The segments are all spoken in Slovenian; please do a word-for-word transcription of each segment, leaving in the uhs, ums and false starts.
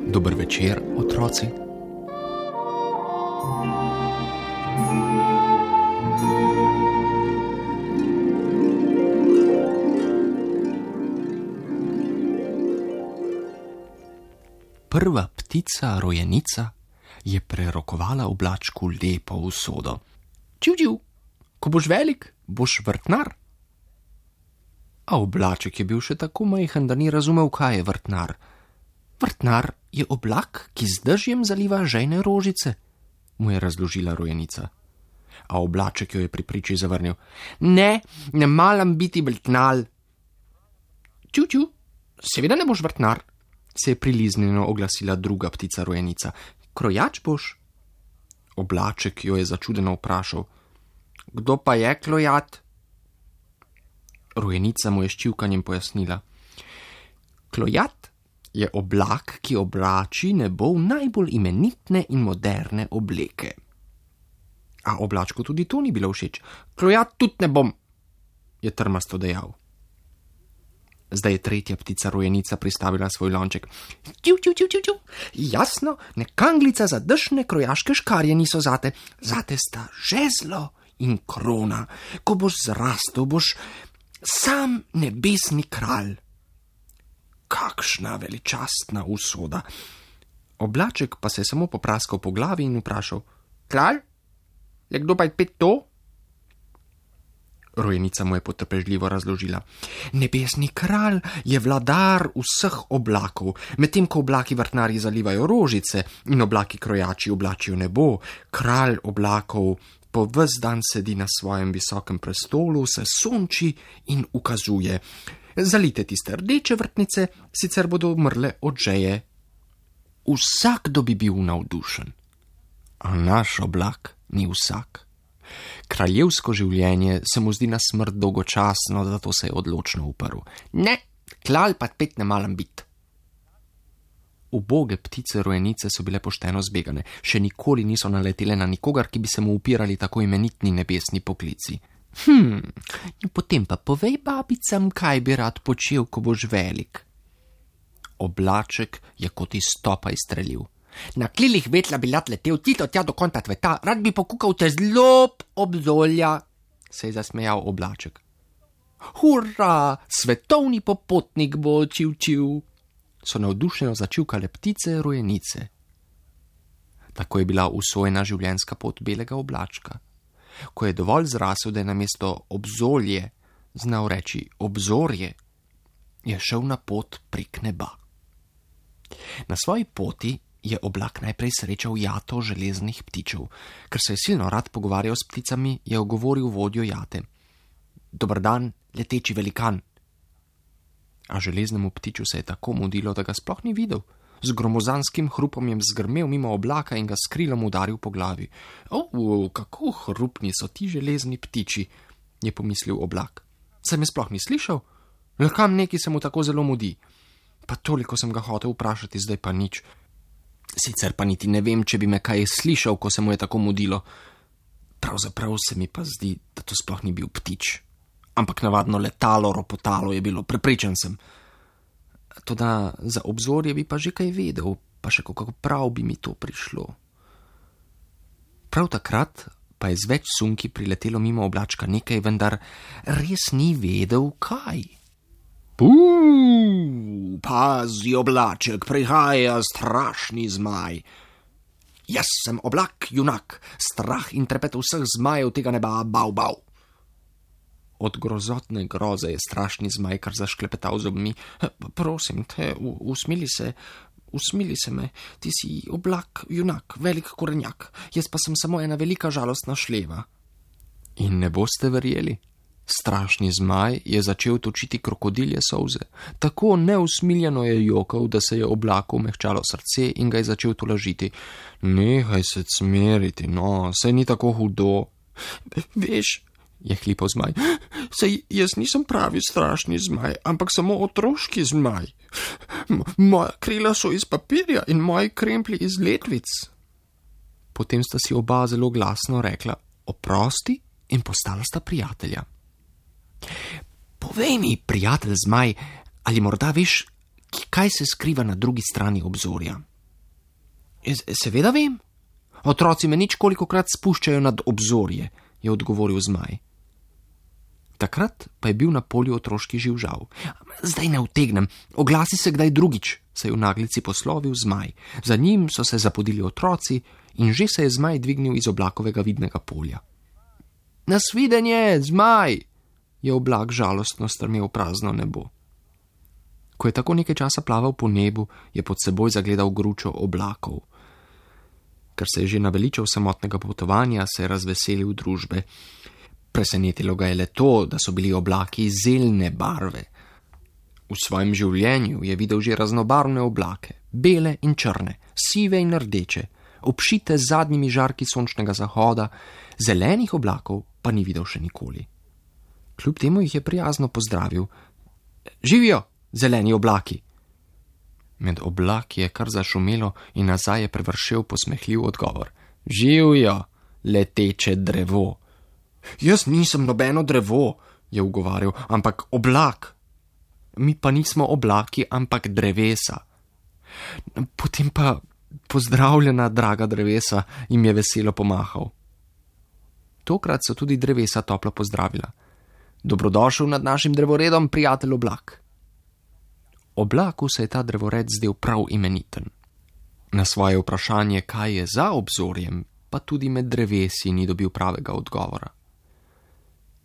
Dober večer, otroci. Prva ptica, rojenica, je prerokovala oblačku lepo usodo. Čiv, čiv, ko boš velik, boš vrtnar. A oblaček je bil še tako majhen, da ni razumel, kaj je vrtnar. Vrtnar je oblak, ki z dežjem zaliva žejne rožice, mu je razložila rojenica. A oblaček jo je pri priči zavrnil. Ne, ne maram biti vrtnar. Čiv, čiv, seveda ne boš vrtnar, se je priliznjeno oglasila druga ptica rojenica. Krojač boš? Oblaček jo je začudeno vprašal. Kdo pa je klojat? Rojenica mu je s čivkanjem pojasnila. Klojat je oblak, ki oblači nebo v najbolj imenitne in moderne obleke. A oblačku tudi to ni bilo všeč. Klojat tudi ne bom, je trmasto dejal. Zdaj je tretja ptica rojenica pristavila svoj lonček. Čiv, čiv, čiv, čiv, čiv. Jasno, nekanglica za dešne krojaške škarje niso zate. Zate sta žezlo in krona. Ko boš zrastel, boš sam nebesni kralj. Kakšna veličastna usoda. Oblaček pa se je samo popraskal po glavi in vprašal. Kralj? Je kdo pa je pet to? Rojenica mu je potrpežljivo razložila. Nebesni kralj je vladar vseh oblakov, medtem ko oblaki vrtnarji zalivajo rožice in oblaki krojači oblačijo nebo, kralj oblakov po ves dan sedi na svojem visokem prestolu, se sonči in ukazuje. Zalite tiste rdeče vrtnice, sicer bodo umrle od žeje. Vsakdo bi bil navdušen. A naš oblak ni vsak. Kraljevsko življenje se mu zdi na smrt dolgočasno, zato se je odločno uprl. Ne, klal pa pet ne malam bit. Uboge ptice rojenice so bile pošteno zbegane, še nikoli niso naletele na nikogar, ki bi se mu upirali tako imenitni nebesni poklici. Hm, potem pa povej babicam, kaj bi rad počel, ko boš velik. Oblaček je kot iz topa izstrelil. Na krilih vetla bi rad letel tito tja do konca tveta, rad bi pokukal te zlob obzolja, se je zasmejal oblaček. Hurra, svetovni popotnik bo čiv, čiv, so navdušeno začivkale ptice rojenice. Tako je bila usvojena življenjska pot belega oblačka. Ko je dovolj zrasel, da je namesto obzolje znal reči obzorje, je šel na pot prek neba. Na svoji poti je oblak najprej srečal jato železnih ptičev. Ker se je silno rad pogovarjal s pticami, je ogovoril vodjo jate. Dober dan, leteči velikan. A železnemu ptiču se je tako mudilo, da ga sploh ni videl. Z gromozanskim hrupom je zgrmel mimo oblaka in ga s krilom udaril po glavi. O, kako hrupni so ti železni ptiči, je pomislil oblak. Se me sploh ni slišal? Le kam neki se mu tako zelo mudi? Pa toliko sem ga hotel vprašati, zdaj pa nič. Sicer pa niti ne vem, če bi me kaj slišal, ko se mu je tako mudilo. Pravzaprav se mi pa zdi, da to sploh ni bil ptič. Ampak navadno letalo, ropotalo je bilo, prepričan sem. Toda za obzorje bi pa že kaj vedel, pa še kako prav bi mi to prišlo. Prav takrat pa je z več sunki priletelo mimo oblačka nekaj, vendar res ni vedel, kaj. Puuu, pazi oblaček, prihaja strašni zmaj. Jaz sem oblak, junak, strah in trepet vseh zmajev tega neba, bau, bau. Od grozotne groze je strašni zmaj kar zašklepetal zobmi. Prosim te, usmili se, usmili se me, ti si oblak, junak, velik korenjak, jaz pa sem samo ena velika žalostna šleva. In ne boste verjeli. Strašni zmaj je začel točiti krokodilje solze. Tako neusmiljeno je jokal, da se je oblaku mehčalo srce in ga je začel tolažiti. Nehaj se cmeriti, no, saj ni tako hudo. Veš, je hlipal zmaj, saj jaz nisem pravi strašni zmaj, ampak samo otroški zmaj. Moja krila so iz papirja in moji kremplji iz letvic. Potem sta si oba zelo glasno rekla oprosti in postala sta prijatelja. Povej mi, prijatelj zmaj, ali morda veš, kaj se skriva na drugi strani obzorja? Seveda vem. Otroci me nič kolikokrat spuščajo nad obzorje, je odgovoril zmaj. Takrat pa je bil na polju otroški živžav. Zdaj ne utegnem, oglasi se kdaj drugič, se je v naglici poslovil zmaj. Za njim so se zapodili otroci in že se je zmaj dvignil iz oblakovega vidnega polja. Nasvidenje, zmaj, je oblak žalostno strmel v prazno nebo. Ko je tako nekaj časa plaval po nebu, je pod seboj zagledal gručo oblakov. Ker se je že naveličal samotnega potovanja, se je razveselil družbe. Presenetilo ga je le to, da so bili oblaki zeljne barve. V svojem življenju je videl že raznobarvne oblake, bele in črne, sive in rdeče, obšite z zadnjimi žarki sončnega zahoda, zelenih oblakov pa ni videl še nikoli. Kljub temu jih je prijazno pozdravil. Živijo, zeleni oblaki! Med oblaki je kar zašumelo in nazaj je prevršel posmehljiv odgovor. Živijo, leteče drevo! Jaz nisem nobeno drevo, je ugovarjal, ampak oblak. Mi pa nismo oblaki, ampak drevesa. Potem pa pozdravljena, draga drevesa, jim je veselo pomahal. Tokrat so tudi drevesa toplo pozdravila. Dobrodošel nad našim drevoredom, prijatelj oblak. Oblaku se je ta drevored zdel prav imeniten. Na svoje vprašanje, kaj je za obzorjem, pa tudi med drevesi ni dobil pravega odgovora.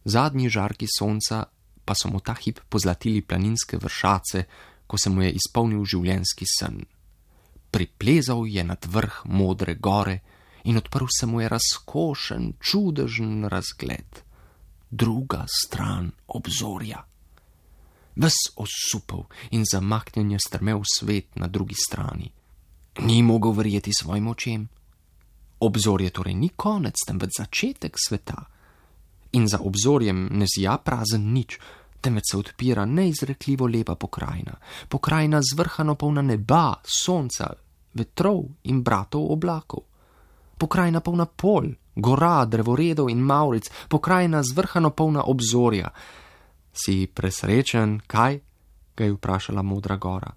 Zadnji žarki sonca pa so mu ta hip pozlatili planinske vršace, ko se mu je izpolnil življenjski sen. Priplezal je nad vrh modre gore in odprl se mu je razkošen, čudežen razgled. Druga stran obzorja. Ves osupel in zamaknjen je strmel svet na drugi strani. Ni mogel verjeti svojim očem. Obzorje torej ni konec, temveč začetek sveta. In za obzorjem ne zija prazen nič, temveč se odpira neizrekljivo lepa pokrajina. Pokrajina zvrhano polna neba, sonca, vetrov in bratov oblakov. Pokrajina polna polj, gora, drevoredov in mavric, pokrajina zvrhano polna obzorja. Si presrečen, kaj? Ga je vprašala modra gora.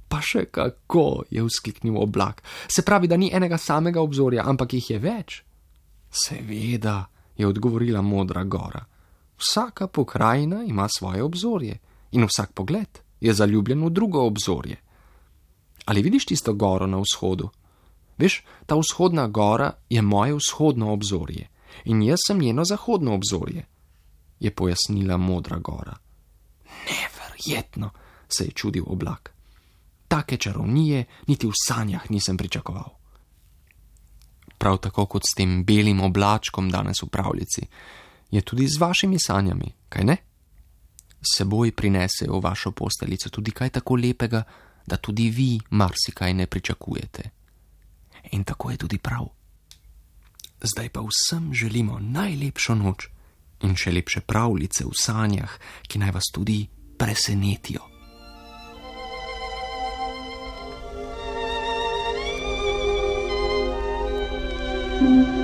Pa še kako, je vzkliknil oblak. Se pravi, da ni enega samega obzorja, ampak jih je več? Seveda, je odgovorila modra gora. Vsaka pokrajina ima svoje obzorje in vsak pogled je zaljubljen v drugo obzorje. Ali vidiš tisto goro na vzhodu? Veš, ta vzhodna gora je moje vzhodno obzorje in jaz sem njeno zahodno obzorje, je pojasnila modra gora. Neverjetno, se je čudil oblak. Take čarovnije niti v sanjah nisem pričakoval. Prav tako kot s tem belim oblačkom danes v pravljici, je tudi z vašimi sanjami, kaj ne? S seboj prinesejo v vašo posteljico tudi kaj tako lepega, da tudi vi marsikaj ne pričakujete. In tako je tudi prav. Zdaj pa vsem želimo najlepšo noč in še lepše pravljice v sanjah, ki naj vas tudi presenetijo. Thank you.